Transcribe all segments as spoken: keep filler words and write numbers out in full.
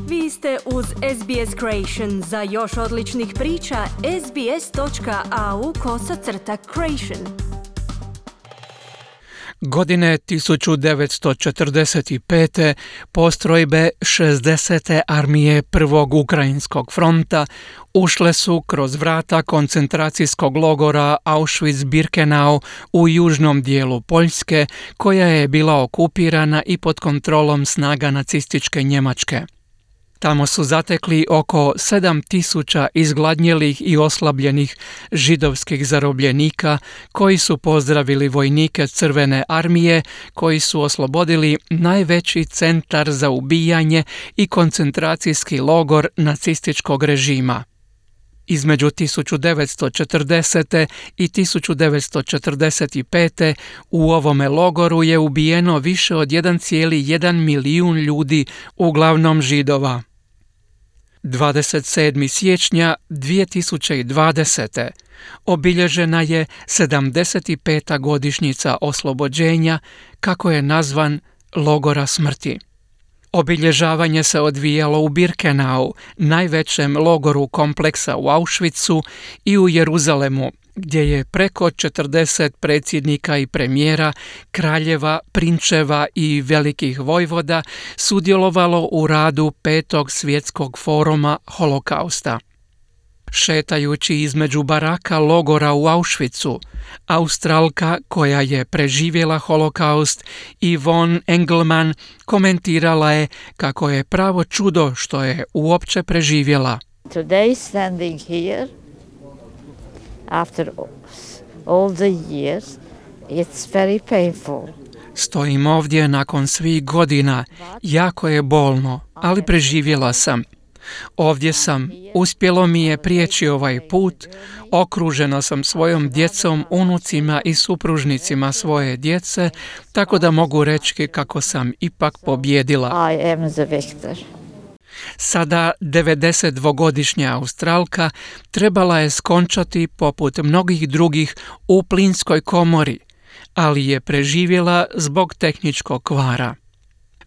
Vi ste uz S B S Creation. Za još odličnih priča, sbs.au kosacrta creation. Godine tisuću devetsto četrdeset pete. postrojbe šezdesete armije Prvog Ukrajinskog fronta ušle su kroz vrata koncentracijskog logora Auschwitz-Birkenau u južnom dijelu Poljske, koja je bila okupirana i pod kontrolom snaga nacističke Njemačke. Tamo su zatekli oko sedam tisuća izgladnjelih i oslabljenih židovskih zarobljenika koji su pozdravili vojnike Crvene armije koji su oslobodili najveći centar za ubijanje i koncentracijski logor nacističkog režima. Između tisuću devetsto četrdesete. i tisuću devetsto četrdeset pete. u ovome logoru je ubijeno više od jedan zarez jedan milijun ljudi, uglavnom Židova. dvadeset sedmog siječnja dvije tisuće dvadesete. obilježena je sedamdeset peta godišnjica oslobođenja, kako je nazvan, logora smrti. Obilježavanje se odvijalo u Birkenau, najvećem logoru kompleksa u Auschwitzu, i u Jeruzalemu, gdje je preko četrdeset predsjednika i premijera, kraljeva, prinčeva i velikih vojvoda sudjelovalo u radu Petog svjetskog foruma holokausta. Šetajući između baraka logora u Auschwitzu, Australka koja je preživjela holokaust, Yvonne Engelman, komentirala je kako je pravo čudo što je uopće preživjela. Today standing here, after all the years, it's very painful. Stojim ovdje nakon svih godina, jako je bolno, ali preživjela sam. Ovdje sam, uspjelo mi je prijeći ovaj put, okružena sam svojom djecom, unucima i supružnicima svoje djece, tako da mogu reći kako sam ipak pobjedila. I am the victor. Sada devedesetdvogodišnja Australka trebala je skončati poput mnogih drugih u plinskoj komori, ali je preživjela zbog tehničkog kvara.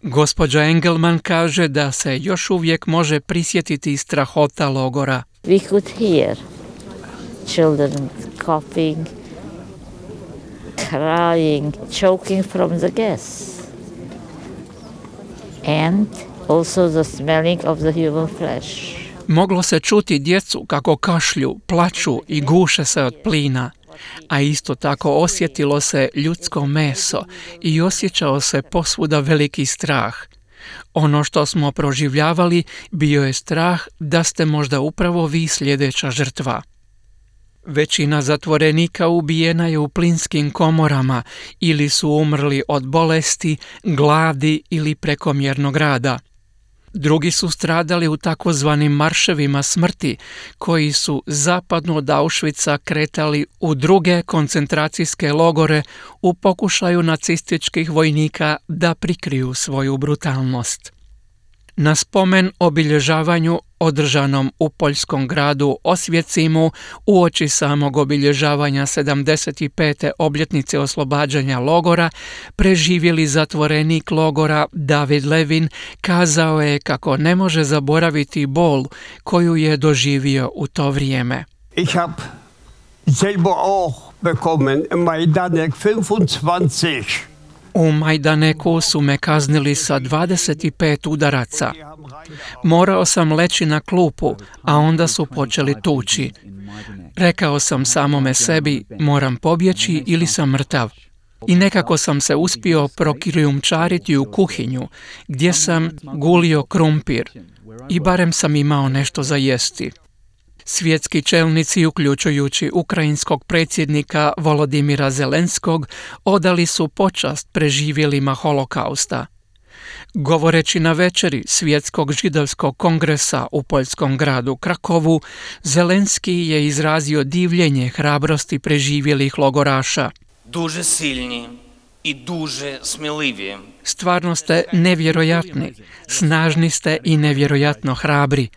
Gospođa Engelman kaže da se još uvijek može prisjetiti strahota logora. We could hear children coughing, crying, choking from the gas. And also the smelling of the human flesh. Moglo se čuti djecu kako kašlju, plaču i guše se od plina, a isto tako osjetilo se ljudsko meso i osjećao se posvuda veliki strah. Ono što smo proživljavali bio je strah da ste možda upravo vi sljedeća žrtva. Većina zatvorenika ubijena je u plinskim komorama ili su umrli od bolesti, gladi ili prekomjernog rada. Drugi su stradali u takozvanim marševima smrti, koji su zapadno od Auschwitza kretali u druge koncentracijske logore u pokušaju nacističkih vojnika da prikriju svoju brutalnost. Na spomen obilježavanju održanom u poljskom gradu Osvjecimu uoči samog obilježavanja sedamdeset pete obljetnice oslobađanja logora, preživjeli zatvorenik logora David Levin kazao je kako ne može zaboraviti bol koju je doživio u to vrijeme. Ich hab selber auch bekommen in Majdanek dvadesет pet. U Majdaneku su me kaznili sa dvadeset pet udaraca. Morao sam leći na klupu, a onda su počeli tući. Rekao sam samome sebi, moram pobjeći ili sam mrtav. I nekako sam se uspio prokrijumčariti u kuhinju, gdje sam gulio krumpir. I barem sam imao nešto za jesti. Svjetski čelnici, uključujući ukrajinskog predsjednika Volodimira Zelenskog, odali su počast preživjelima holokausta. Govoreći na večeri Svjetskog židovskog kongresa u poljskom gradu Krakovu, Zelenski je izrazio divljenje hrabrosti preživjelih logoraša. Дуже сильні і дуже сміливі. Stvarno ste nevjerojatni, snažni ste i nevjerojatno hrabri.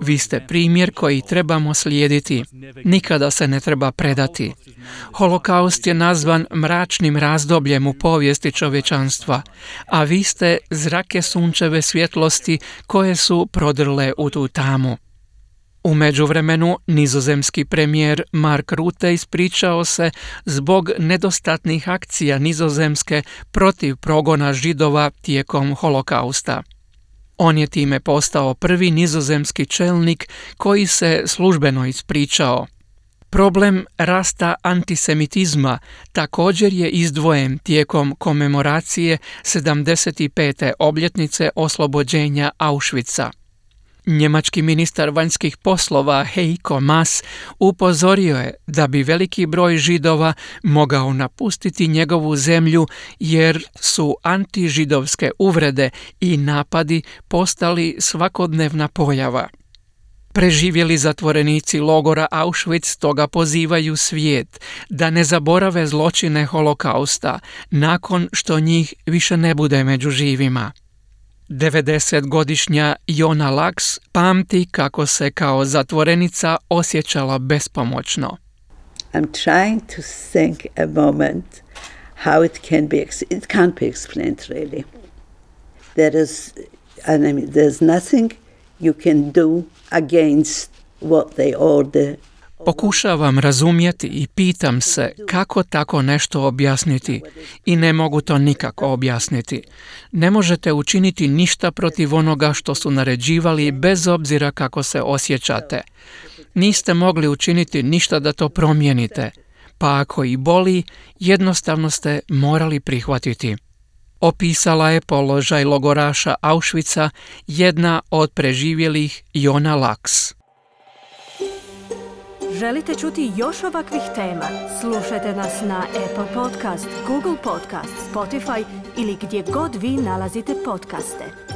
Vi ste primjer koji trebamo slijediti. Nikada se ne treba predati. Holokaust je nazvan mračnim razdobljem u povijesti čovječanstva, a vi ste zrake sunčeve svjetlosti koje su prodrle u tu tamu. U međuvremenu, nizozemski premijer Mark Rutte ispričao se zbog nedostatnih akcija Nizozemske protiv progona Židova tijekom holokausta. On je time postao prvi nizozemski čelnik koji se službeno ispričao. Problem rasta antisemitizma također je izdvojen tijekom komemoracije sedamdeset pete obljetnice oslobođenja Auschwitza. Njemački ministar vanjskih poslova Heiko Maas upozorio je da bi veliki broj Židova mogao napustiti njegovu zemlju jer su antižidovske uvrede i napadi postali svakodnevna pojava. Preživjeli zatvorenici logora Auschwitz toga pozivaju svijet da ne zaborave zločine holokausta nakon što njih više ne bude među živima. devedesetgodišnja Jona Laks pamti kako se kao zatvorenica osjećala bespomoćno. I'm trying to think a moment how it can be, it can't be explained really. There is, I mean, there's nothing you can do against what they order. Pokušavam razumjeti i pitam se kako tako nešto objasniti i ne mogu to nikako objasniti. Ne možete učiniti ništa protiv onoga što su naređivali bez obzira kako se osjećate. Niste mogli učiniti ništa da to promijenite, pa ako i boli, jednostavno ste morali prihvatiti. Opisala je položaj logoraša Auschwitza jedna od preživjelih Jona Laks. Želite čuti još ovakvih tema? Slušajte nas na Apple Podcast, Google Podcast, Spotify ili gdje god vi nalazite podcaste.